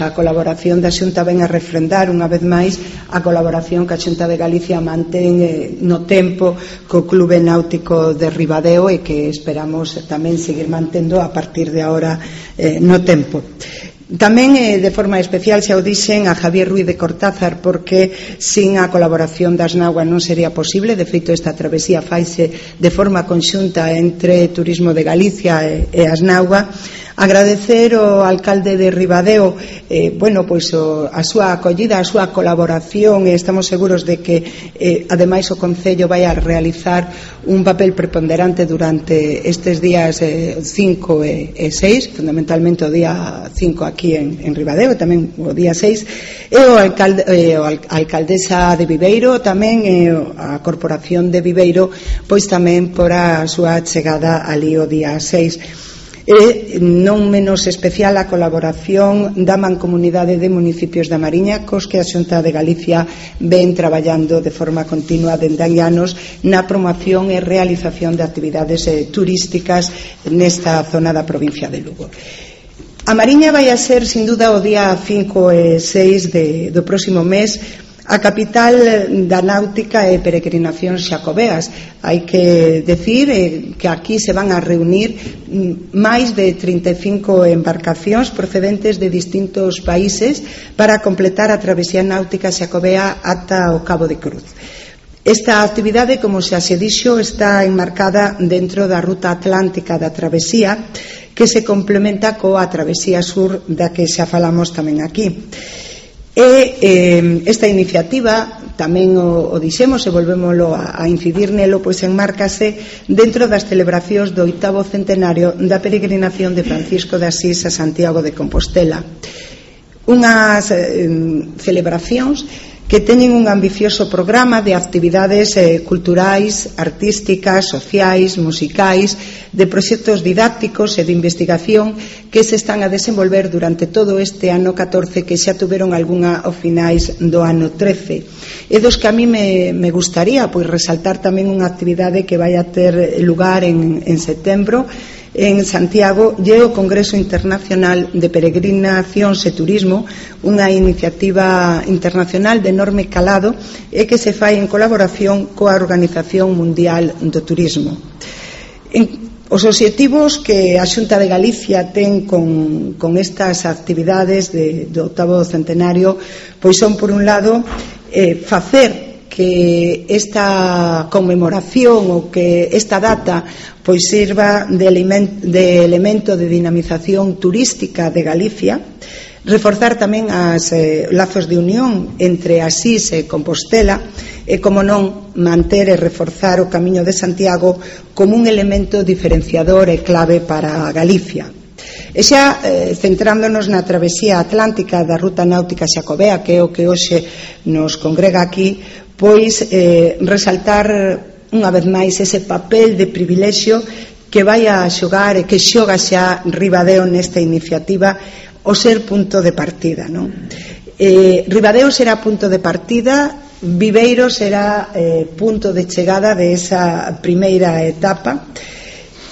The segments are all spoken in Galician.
a colaboración da Xunta ven a refrendar unha vez máis a colaboración que a Xunta de Galicia mantén no tempo co Clube Náutico de Ribadeo e que esperamos tamén seguir mantendo a partir de agora no tempo. Tamén de forma especial xa o dixen a Javier Ruiz de Cortázar, porque sin a colaboración das Asnagua non sería posible. De feito, esta travesía faise de forma conxunta entre Turismo de Galicia e Asnagua. Agradecer ao alcalde de Ribadeo a súa acollida, a súa colaboración, e estamos seguros de que ademais o Concello vai a realizar un papel preponderante durante estes días 5 e 6, fundamentalmente o día 5 aquí en Ribadeo, e tamén o día 6, e a alcaldesa de Viveiro tamén, e a Corporación de Viveiro, pois tamén por a súa chegada ali o día 6. E non menos especial a colaboración da Mancomunidade de Municipios da Mariña, cos que a Xunta de Galicia ven traballando de forma continua dende hai anos na promoción e realización de actividades turísticas nesta zona da provincia de Lugo. A Mariña vai a ser, sin duda, o día 5 e 6 do próximo mes a capital da náutica e peregrinacións xacobeas. Hai que decir que aquí se van a reunir máis de 35 embarcacións procedentes de distintos países para completar a travesía náutica xacobea ata o Cabo de Cruz. Esta actividade, como xa se dixo, está enmarcada dentro da ruta atlántica da travesía, que se complementa coa travesía sur da que xa falamos tamén aquí. E esta iniciativa, tamén o dixemos e volvémolo a incidir nelo, pois enmárcase dentro das celebracións do 8º centenario da peregrinación de Francisco de Asís a Santiago de Compostela. Unhas celebracións que teñen un ambicioso programa de actividades culturais, artísticas, sociais, musicais, de proxectos didácticos e de investigación que se están a desenvolver durante todo este ano 14, que xa tuveron algunha ao finais do ano 13. E dos que a mí me gustaría pois resaltar tamén unha actividade que vai a ter lugar en setembro en Santiago, lle o Congreso Internacional de Peregrinacións e Turismo, unha iniciativa internacional de enorme calado e que se fai en colaboración coa Organización Mundial do Turismo. Os obxectivos que a Xunta de Galicia ten con estas actividades do 8º centenario pois son, por un lado, facer que esta conmemoración ou que esta data pois sirva de elemento de dinamización turística de Galicia, reforzar tamén os lazos de unión entre Asís e Compostela e, como non, manter e reforzar o Camiño de Santiago como un elemento diferenciador e clave para Galicia. E xa centrándonos na travesía atlántica da ruta náutica xacobea, que é o que hoxe nos congrega aquí, pois resaltar unha vez máis ese papel de privilexio que vai a xogar e que xoga xa Ribadeo nesta iniciativa, o ser punto de partida, non? Ribadeo será punto de partida, Viveiro será punto de chegada de esa primeira etapa,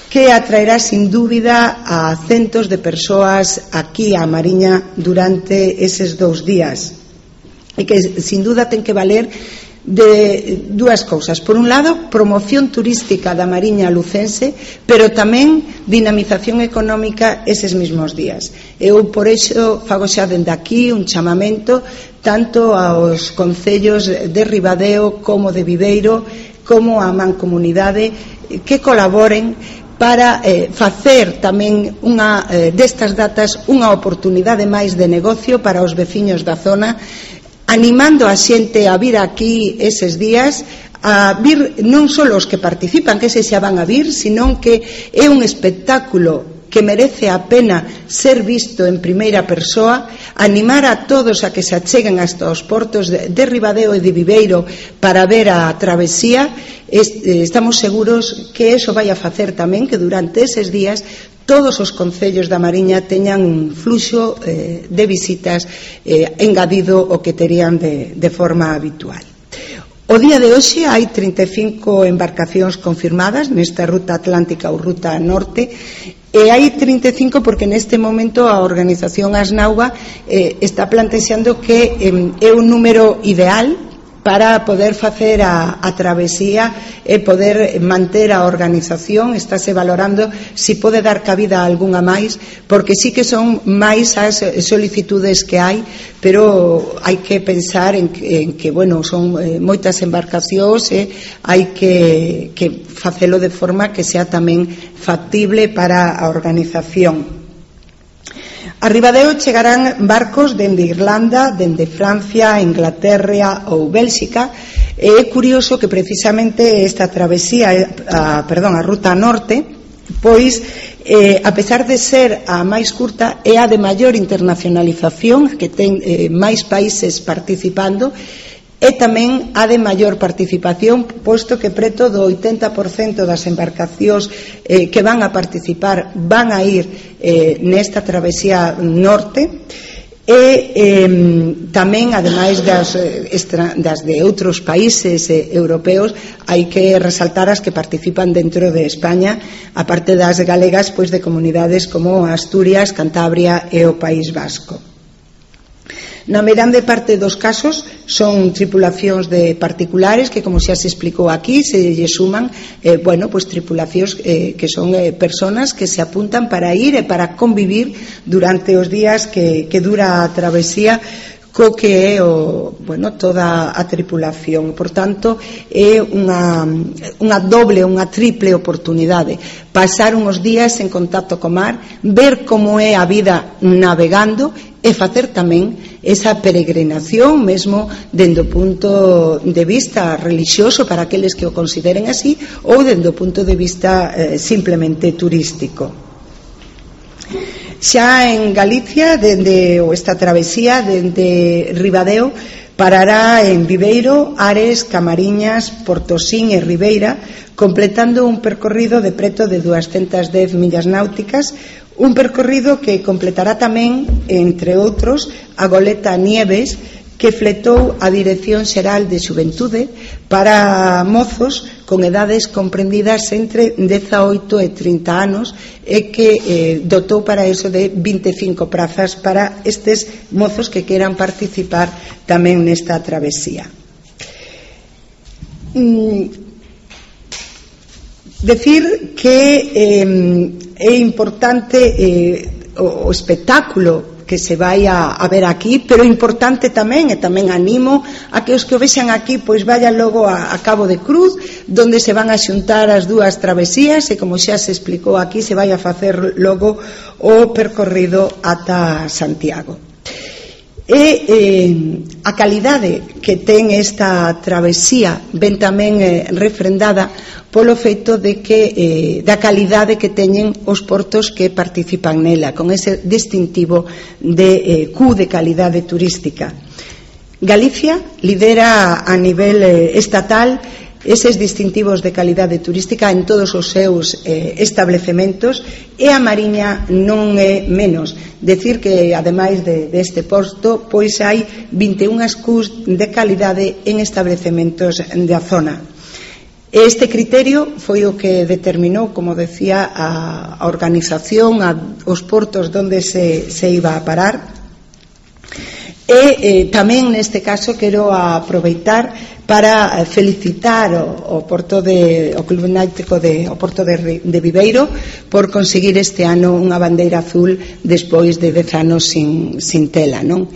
que atraerá sin dúbida a centos de persoas aquí a Mariña durante eses 2 días, e que sin duda ten que valer de dúas cousas. Por un lado, promoción turística da Mariña lucense, pero tamén dinamización económica eses mesmos días. Eu por iso fago xa dende aquí un chamamento tanto aos concellos de Ribadeo como de Viveiro como a Mancomunidade que colaboren para facer tamén destas datas unha oportunidade máis de negocio para os veciños da zona, animando a xente a vir aquí eses días, a vir non só os que participan, que eses xa van a vir, sino que é un espectáculo que merece a pena ser visto en primeira persoa, animar a todos a que se acheguen hasta os portos de Ribadeo e de Viveiro para ver a travesía. Estamos seguros que eso vai a facer tamén que durante eses días todos os concellos da Mariña teñan un fluxo de visitas engadido o que terían de forma habitual. O día de hoxe hai 35 embarcacións confirmadas nesta ruta atlántica ou ruta norte, E hai 35 porque neste momento a organización Asnauga está plantexando que é un número ideal para poder facer a travesía e poder manter a organización. Estáse valorando se pode dar cabida a algunha máis, porque sí que son máis as solicitudes que hai, pero hai que pensar en que bueno, son moitas embarcacións e hai que facelo de forma que sea tamén factible para a organización. A Ribadeo chegarán barcos dende Irlanda, dende Francia, Inglaterra ou Bélxica. É curioso que precisamente esta travesía, a ruta norte, pois a pesar de ser a máis curta, é a de maior internacionalización, que ten máis países participando, e tamén a de maior participación, posto que preto do 80% das embarcacións que van a participar van a ir nesta travesía norte. E tamén, ademais das de outros países europeos, hai que resaltar as que participan dentro de España, aparte das galegas, pois de comunidades como Asturias, Cantabria e o País Vasco. Na grande parte dos casos son tripulacións de particulares que, como xa se explicou aquí, se lle suman pois tripulacións que son personas que se apuntan para ir e para convivir durante os días que dura a travesía co que é toda a tripulación. Por tanto, é unha doble, unha triple oportunidade: pasar uns días en contacto co mar, ver como é a vida navegando e facer tamén esa peregrinación mesmo dende o punto de vista religioso para aqueles que o consideren así, ou dende o punto de vista simplemente turístico. Xa en Galicia, esta travesía dende Ribadeo parará en Viveiro, Ares, Camariñas, Portosín e Ribeira, completando un percorrido de preto de 210 millas náuticas, un percorrido que completará tamén, entre outros, a goleta Nieves, que fletou a Dirección Xeral de Xuventude para mozos con edades comprendidas entre 18 e 30 anos e que dotou para eso de 25 prazas para estes mozos que queran participar tamén nesta travesía. Decir que é importante o espectáculo que se vai a ver aquí, pero importante tamén, e tamén animo a que os que o vexan aquí pois vayan logo a Cabo de Cruz, donde se van a xuntar as dúas travesías e, como xa se explicou aquí, se vai a facer logo o percorrido ata Santiago. E a calidade que ten esta travesía ven tamén refrendada polo feito de que da calidade que teñen os portos que participan nela, con ese distintivo de Q de calidade turística. Galicia lidera a nivel estatal eses distintivos de calidade turística en todos os seus establecementos, e a Mariña non é menos. Decir que, ademais deste posto, pois hai 21 Qs de calidade en establecementos da zona. Este criterio foi o que determinou, como decía, a organización, os portos onde se iba a parar. E tamén neste caso quero aproveitar para felicitar o Club Náutico o Porto de Viveiro por conseguir este ano unha bandeira azul despois de 10 anos sin tela, non?